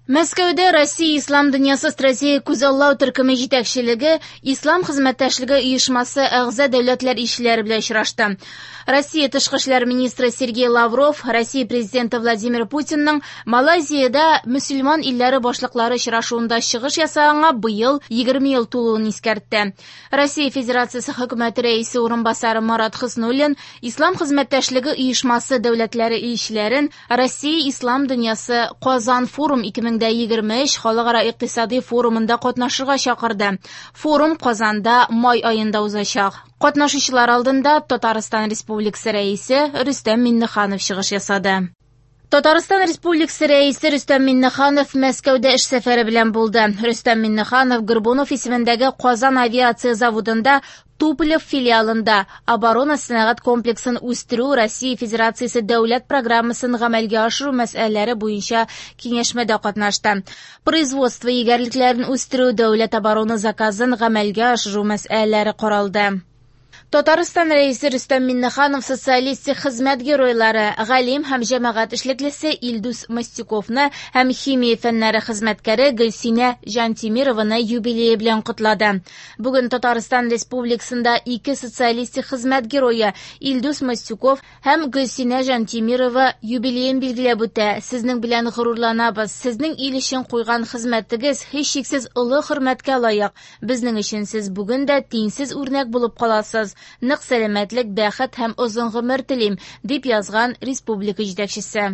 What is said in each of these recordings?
Мәскәүдә Россия Ислам дөньясы стратегик күзаллау төркеме җитәкчелеге Ислам хезмәттәшлеге оешмасы әгъза дәүләтләр илчеләре белән очрашты. Россия тышкы эшләр министры Сергей Лавров Россия президенты Владимир Путинның Малайзиядә мөселман илләре башлыклары очрашуында чыгыш ясаганга быел 20 ел тулуын искәртте. Россия Федерациясе хөкүмәте рәисе урынбасары Марат Хөснуллин Ислам хезмәттәшлеге оешмасы дәүләтләре илчеләрен Россия Ислам дөньясы Казан форум 2023 халыкара икътисади форумында катнашырга чакырды. Форум Казанда май аенда узачак. Катнашучылар алдында Татарстан Республикасы Рәисе Рөстәм Миңнеханов чыгыш ясады. Татарстан Республикасы Рәисе Рөстәм Миңнеханов Мәскәүдә эш сәфәре белән булды. Рөстәм Миңнеханов Горбунов исемендәге Казан авиация заводында Туполев филиалында оборона сәнәгать комплексын үстерү Россия Федерациясе дәүләт программасын гамәлгә ашыру мәсьәләләре буенча киңәшмәдә катнашты. Производство егәрлекләрен үстерү дәүләт оборона заказын гамәлгә ашыру мәсьәләләре каралды. Татарстан Рәисе Рөстәм Миңнеханов социалистик хезмәт геройлары, галим һәм җәмәгать эшлеклесе Илдус Мостюковны һәм химия фәннәре хезмәткәре Гөлсинә Җантимированы юбилее белән котлады. Бүген Татарстан Республикасында ике социалистик хезмәт герое Илдус Мостюков һәм Гөлсинә Җантимирова юбилеен билгеләп үтә. Сезнең белән горурланабыз. Сезнең ил өчен куйган хезмәтегез һичшиксез олы хөрмәткә лаек. Безнең өчен сез бүген дә тиңсез үрнәк булып каласыз. Нык сәламәтлек, бәхет һәм озын гомер телим, дип язган республика җитәкчесе.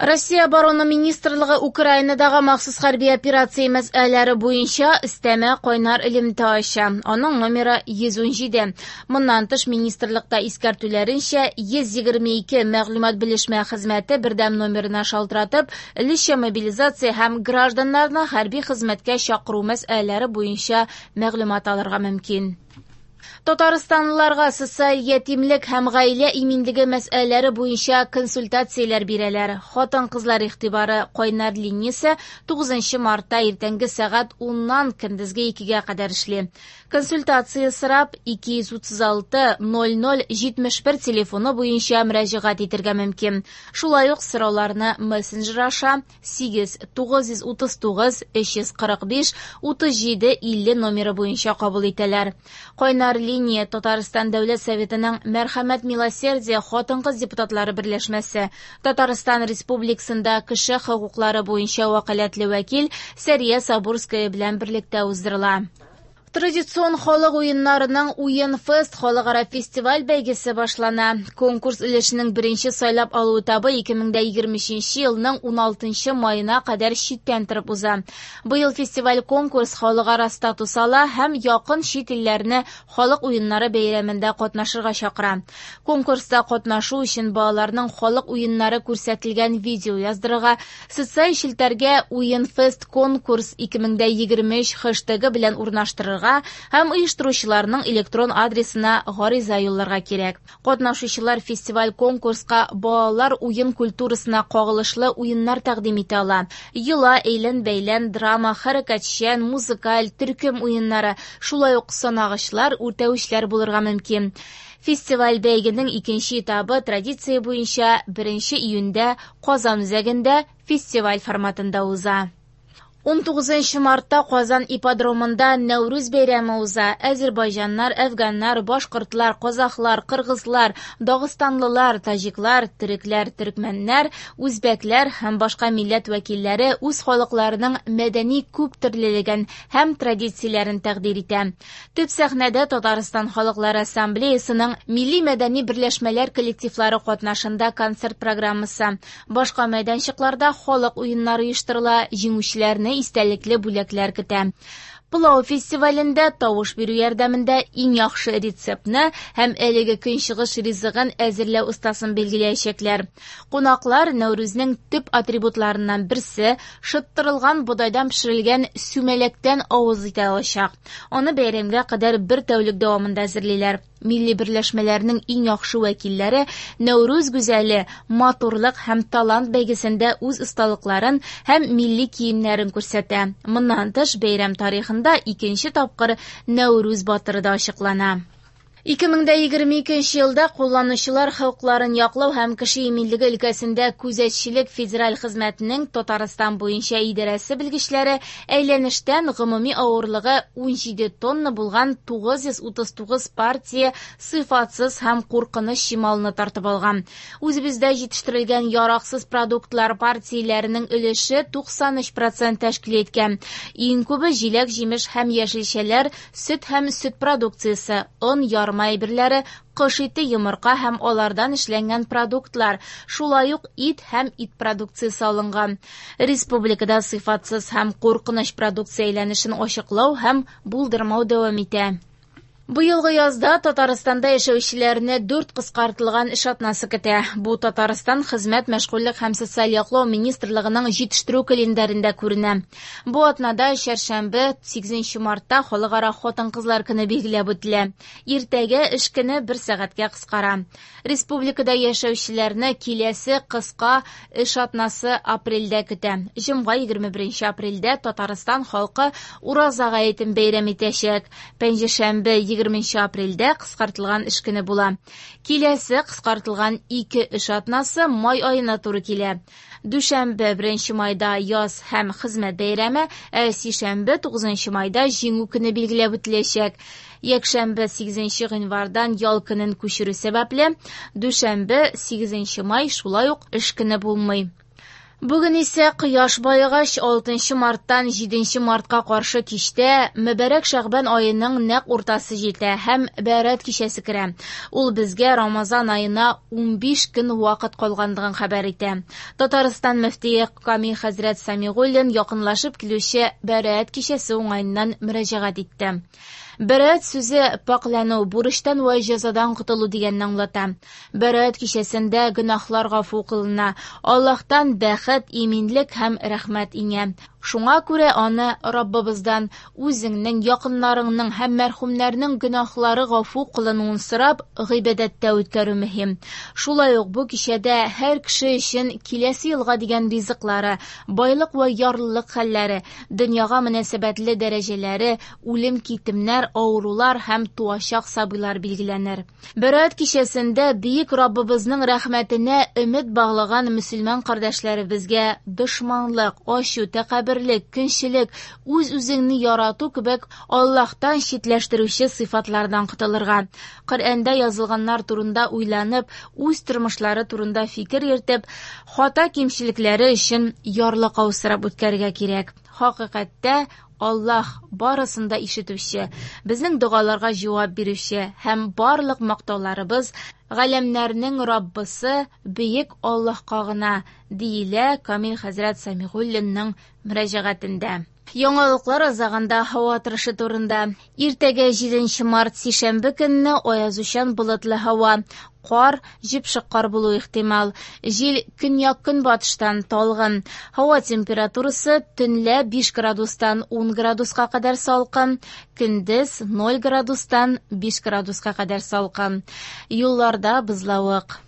Россия Оборона министрлыгы Украинадагы махсус хәрби операция мәсьәләләре буенча өстәмә кайнар элемтә ача. Аның номеры 117. Моннан тыш министрлыкта искәртүләренчә 122 мәгълүмат белешмә хезмәте бердәм номерына шалтыратып, өлешчә мобилизация һәм гражданнарны хәрби хезмәткә чакыру мәсьәләләре буенча мәгълүмат алырга мөмкин. Татарстанлыларга социаль ятимлек һәм гаилә иминлеге мәсьәләләре буенча консультацияләр бирәләр. Хатын-кызлар игътибары кайнар линиясе 9 мартта иртәнге сәгать 10-нан көндезге 2-гә кадәр эшли. Консультация сорап 236 00 71 телефоны буенча мөрәҗәгать итәргә мөмкин. Шулай ук сорауларны мессенджер аша 8 939 345 37 50 номеры буенча кабул итәләр. Кайнар линия Татарстан Дәүләт Советының Мәрхәмәт Милосердие хатын-кыз депутатлары берләшмәсе, Татарстан Республикасында кеше хокуклары буенча вәкаләтле вәкил Сәрия Сабурская белән берлектә уздырыла. Традицион халык уеннарының Уен фест халыкара фестиваль бәйгесе башлана. Конкурс өлешенең беренче сайлап алу этабы 2023 елның 16 маена кадәр читтән торып уза. Быел фестиваль конкурс халыкара статус ала һәм якын чит илләрне халык уеннары бәйрәмендә катнашырга чакыра. Конкурста катнашу өчен балаларның халык уеннары күрсәтелгән видео яздырырга, социаль челтәргә Уен фест конкурс 2023 хэштегы белән урнаштырырга һәм оештыручыларның электрон адресына гариза юлларга кирәк. Катнашучылар фестиваль конкурска балалар уен культурасына кагылышлы уеннар тәкъдим итә ала. Йола, әйлән-бәйлән, драма, хәрәкәтчән, музыкаль, төркем уеннары, шулай ук санагычлар, үртәүчләр булырга мөмкин. Фестиваль бәйгенең икенче этабы традиция буенча 1 июньдә Казан үзәгендә фестиваль форматында уза. 19 мартта Казан ипподромында Нәүрүз бәйрәме уза. Әзербайҗаннар, әфганнар, башкортлар, казахлар, кыргызлар, дагыстанлылар, таҗиклар, төрекләр, төркмәннәр, үзбәкләр һәм башка милләт вәкилләре үз халыкларының мәдәни күптөрлелеген һәм традицияләрен тәкъдир итә. Төп сәхнәдә Татарстан халыклары ассамблеясының милли мәдәни берләшмәләр коллективлары катнашында концерт программасы. Башка мәйданчыкларда халык уеннары оештырыла, җиңүчеләрне истәлекле бүләкләр көтә. Пылау фестивалендә тавыш бирү ярдәмендә иң яхшы рецептны һәм әлеге көнчыгыш ризыгын әзерләү остасын билгеләячәкләр. Кунаклар Нәүрүзнең төп атрибутларыннан берсе шыттырылган бодайдан пешерелгән сүмәләктән авыз итә алачак. Аны бәйрәмгә кадәр бер тәүлек дәвамында әзерлиләр. Милли берләшмәләрнең иң яхшы вәкилләре Нәүрүз гүзәле, матурлык һәм талант бәйгесендә үз осталыкларын һәм милли киемнәрен күрсәтә. Моннан тыш бәйрәм тарихында икенче тапкыр Нәүрүз батыры да ачыклана. 2022 елда кулланучылар хокукларын яклау һәм кеше иминлеге өлкәсендә күзәтчелек федераль хезмәтенең Татарстан буенча идарәсе белгечләре әйләнештән гомуми авырлыгы 17 тонна булган 939 партия сыйфатсыз һәм куркыныч чималны тартып алган. Үзебездә җитештерелгән яраксыз продуктлар партияләренең өлеше 93 процент тәшкил иткән. Иң күбе җиләк-җимеш һәм яшелчәләр, сөт һәм сөт продукциясе, он, ярма әйберләре, кош ите, йомырка һәм алардан эшләнгән продуктлар, шулай ук ит һәм ит продукциясе алынган. Республикада сыйфатсыз һәм куркыныч продукция әйләнешен ачыклау һәм булдырмау дәвам итә. Быелгы язда Татарстанда яшәүчеләрне дүрт кыскартылган эш атнасы көтә. Бу Татарстан Хезмәт, мәшгульлек һәм социаль яклау министрлыгының җитештерү календарендә күренә. Бу атнада чәршәмбе, 8 мартта Халыкара хатын-кызлар көне билгеләп үтелә. Иртәгә эш көне бер сәгатькә кыскара. Республикада яшәүчеләрне киләсе кыска эш атнасы апрельдә көтә. Җомга 21 апрельдә Татарстан халкы Ураза гаетен бәйрәм итәчәк. Пәнҗешәмбе 20 апрельдә кыскартылган эш көне була. Киләсе кыскартылган ике эш атнасы май аена туры килә. Дүшәмбе 1 майда яз һәм хезмәт бәйрәме, ә сишәмбе 9 майда Җиңү көне билгеләп үтеләчәк. Якшәмбе 8 гыйнвардан ял көнен күчерү сәбәпле, дүшәмбе 8 май шулай ук эш көне булмый. Бүген исә кояш баегач 6 марттан 7 мартка каршы кичтә мөбарәк Шәгъбан аеның нәкъ уртасы җитә һәм Бәрәт кичәсе керә. Ул безгә Рамазан аена 15 көн вакыт калганлыгын хәбәр итә. Татарстан мөфтие Камил хәзрәт Самигуллин якынлашып килүче Бәрәт кичәсе уңаеннан мөрәҗәгать итте. Бәрәт сүзе пакьләнү, бурычтан вә җәзадан котылу дигәнне аңлата. Бәрәт кичәсендә гөнаһлар гафу кылына, Аллаһтан бәхет, иминлек һәм рәхмәт иңә. Шуңа күрә аны Раббыбыздан үзеңнең, якыннарыңның һәм мәрхүмнәрнең гөнаһлары гафу кылынуын сорап, гыйбадәттә үткәрү мөһим. Шулай ук бу кичәдә һәр кеше өчен киләсе елга дигән ризыклары, байлык вә ярлылык хәлләре, дөньяга мөнәсәбәтле дәрәҗәләре, үлем-китемнәр, авырулар һәм туачак сабыйлар билгеләнер. Бәрәт кичәсендә бөек Раббыбызның рәхмәтенә өмет баглаган мөселман кардәшләребезгә дошманлык, ачу, тәкәбберлек, көнчелек, үз-үзеңне ярату кебек Аллаһтан читләштерүче сыйфатлардан котылырга, Коръәндә язылганнар турында уйланып, үз тормышлары турында фикер йөртеп, хата кимчелекләре өчен ярлыкау сорап үткәрергә кирәк. Хакыйкатьтә Аллаһ барысын да ишетүче, безнең догаларга җавап бирүче һәм барлык мактауларыбыз галәмнәрнең Раббысы бөек Аллаһка гына, диелә Камил хәзрәт Самигуллинның мөрәҗәгатендә. Яңалыклар азагында һава торышы турында. Иртәгә 7 март сишәмбе көнне аязучан болытлы һава, кар, җепшек кар булу ихтимал. Җил көньяк-көнбатыштан талгын. Һава температурасы төнлә 5 градустан 10 градуска кадәр салкын, көндез 0 градустан 5 градуска кадәр салкын. Юлларда бозлавык.